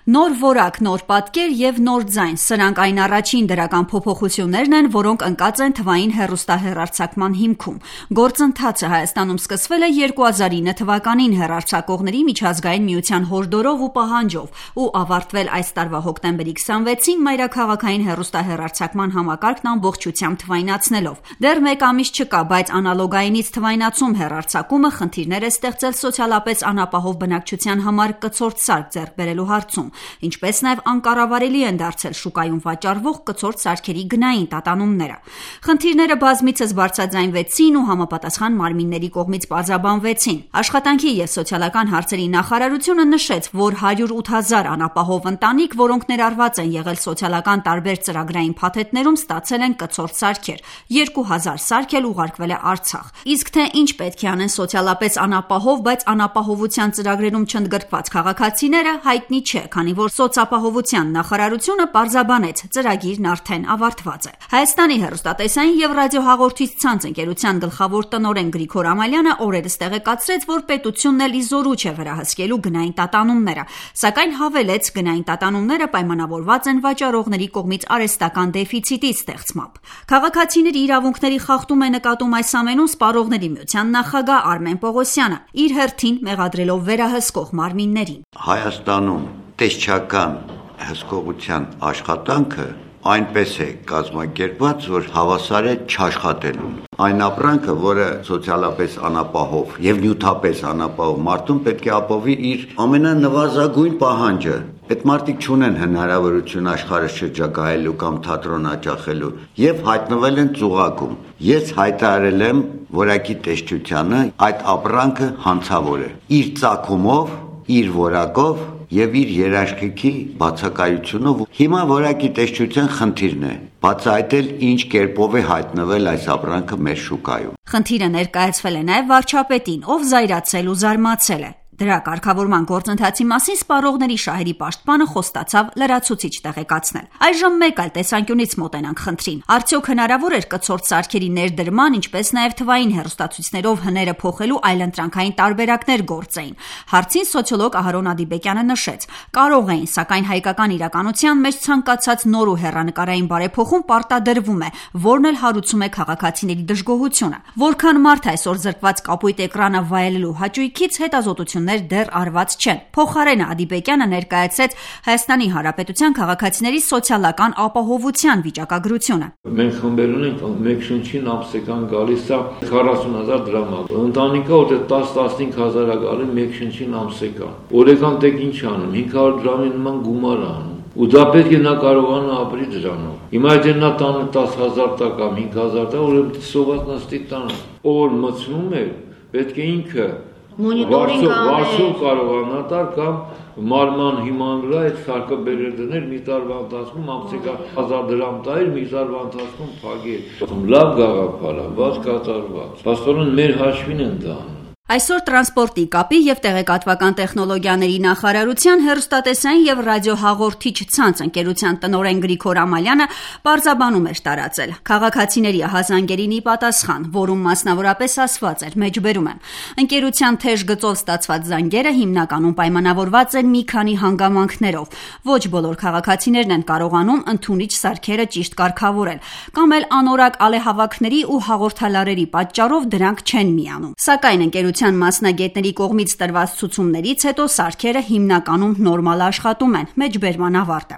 Նոր որակ, նոր պատկեր եւ նոր ձայն, սրանք այն առաջին դրական փոփոխություններն են, որոնք ընկած են թվային հեռուստահեռարձակման հիմքում։ Գործընթացը Հայաստանում սկսվել է 2009 թվականին հեռարձակողների միջազգային միության հորդորով ու պահանջով ու ավարտվել այս տարվա հոկտեմբերի 26-ին մայրաքաղաքային հեռուստահեռարձակման համակարգն ամբողջությամբ թվայնացնելով։ Դեռ մեկ ամիս չկա, բայց անալոգայինից թվայնացում հեռարձակումը խնդիրներ է ստեղծել սոցիալապես անապահով բնակչության համար կցորդ սարք ձեռք բերելու հարցում, ինչպես նաև անկառավարելի են դարձել շուկայում վաճառվող կցորդ սարքերի գնային տատանումները։ Խնդիրները բազմիցս բարձրաձայնվեցին ու համապատասխան մարմինների կողմից պարզաբանվեցին։ Աշխատանքի և սոցիալական հարցերի նախարարությունը նշեց, որ 108,000 անապահով ընտանիք, որոնք ներառված են եղել սոցիալական տարբեր ծրագրային փաթեթներում, ստացել են կցորդ սարքեր, 2,000 սարք էլ ուղարկվել է Արցախ։ Իսկ թե ինչ պետք է անեն սոցիալապես անապահով, բայց անապահովության ծրագրերում չընդգրկված քաղաքացիները, հայտնի չէ, քանի որ սոցապահովության նախարարությունը պարզաբանեց, ծրագիրն արդեն ավարտված է։ Հայաստանի հեռուստատեսային և ռադիոհաղորդիչ ցանց ընկերության գլխավոր տնօրեն Գրիգոր Ամալյանը օրերս տեղեկացրեց, որ պետությունն էլ ի զորու չէ վերահսկելու գնային տատանումները, սակայն հավելեց, գնային տատանումները պայմանավորված են վաճառողների կողմից արհեստական դեֆիցիտի ստեղծմամբ։ Քաղաքացիների իրավունքների խախտում է նկատում այս ամենում Սպառողների միության նախագահ Արմեն Պողոսյանը, իր հերթին մեղադրելով վերահսկող մարմիններին։ Հայաստանում տեսչական հսկողության աշխատանքը այնպես է կազմակերպված, որ հավասար է չաշխատելուն։ Այն ապրանքը, որը սոցիալապես անապահով եւ նյութապես անապահով մարդուն պետք է ապահովի իր ամենանվազագույն պահանջը։ Այդ մարդիկ չունեն հնարավորություն աշխարհը շրջագայելու կամ թատրոն աջակցելու եւ հայտնվել են ծուղակում։ Ես հայտարարել եմ որակի տեսչությանը այդ ապրանքը հանցավոր է։ Իր ծագումով, իր որակով եւ իր երաշխիքի բացակայությունով հիմա որակի տեսչության խնդիրն է բացահայտել ինչ կերպով է հայտնվել այս ապրանքը մեր շուկայում։ Խնդիրը ներկայացվել է նաեւ վարչապետին, ով զայրացել ու զարմացել է։ Դրա կարգավորման գործընթացի մասին Սպառողների շահերի պաշտպանը խոստացավ լրացուցիչ տեղեկացնել։ Այժմ մեկ այլ տեսանկյունից մոտենանք խնդրին։ Արդյոք հնարավոր էր կցորդ սարքերի ներդրման, ինչպես նաև թվային հեռուստացույցներով հները փոխելու այլընտրանքային տարբերակներ գործեին։ Հարցին սոցիոլոգ Ահարոն Ադիբեկյանը նշեց. կարող էին, սակայն հայկական իրականության մեջ ցանկացած նոր ու հեռանկարային բարեփոխում պարտադրվում է, որն էլ հարուցում է քաղաքացիների դժգոհությունը։ Որքան մարդ այսօր զրկված կապույտ էկրանը վայելելու հաճույքից հետազոտություն դեռ արված չեն։ Փոխարենը Ադիբեկյանը ներկայացրեց Հայաստանի Հանրապետության քաղաքացիների սոցիալական ապահովության վիճակագրությունը։ Մենք խմբերուն ենք մեկ շնչին ամսական գալիս է 40,000 դրամ։ Ընտանիքը որ 10-15 հազար է գալի մեկ շնչին ամսական։ Օրական տեք ինչ անում, 500 դրամի նման գումար անում։ Ու դա պետք է նա կարողանա ապրի դրանով։ Հիմա եթե նա տանը 10,000 տա կամ 5,000 տա, ուրեմն սոված նստի տանը։ Ով մտցնում է, պետք է ինքը վարձով կարողանա տալ կամ մարման հիման վրա այդ սարքը բերել դներ մի տարվա ընթացքում ամսական 1000 դրամ տայր, մի տարվա ընթացքում փակեր։ Լավ գաղափար է, բայց կատարված։ Փաստորեն մեր հաշվին են դա։ Այսօր տրանսպորտի կապի և տեղեկատվական տեխնոլոգիաների նախարարության հեռուստատեսային և ռադիոհաղորդիչ ցանց ընկերության տնօրեն Գրիգոր Ամալյանը պարզաբանում էր տարածել քաղաքացիների ահազանգերին ի պատասխան, որում մասնավորապես ասված էր, մեջբերում եմ. ընկերության թեժ գծով ստացված զանգերը հիմնականում պայմանավորված են մի քանի հանգամանքներով։ Ոչ բոլոր քաղաքացիներն են կարողանում ընդունիչ սարքերը ճիշտ կարգավորել, կամ էլ անորակ ալեհավաքների ու հաղորդալարերի պատճառով դրանք չեն միանում։ Սակայն ընկերության մասնագետների կողմից տրված ցուցումներից հետո սարքերը հիմնականում նորմալ աշխատում են, մեջբերման ավարտը։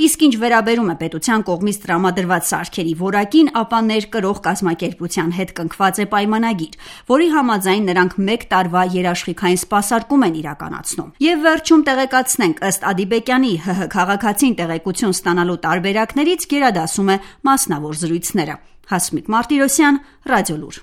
Իսկ ինչ վերաբերում է պետության կողմից տրամադրված սարքերի որակին, ապա ներկրող կազմակերպության հետ կնքված է պայմանագիր, որի համաձայն նրանք մեկ տարվա երաշխիքային սպասարկում են իրականացնում։ Եվ վերջում տեղեկացնենք, ըստ Ադիբեկյանի, ՀՀ քաղաքացին տեղեկություն ստանալու տարբերակներից գերադասում է մասնավոր զրույցները։ Հասմիկ Մարտիրոսյան, Ռադիոլուր։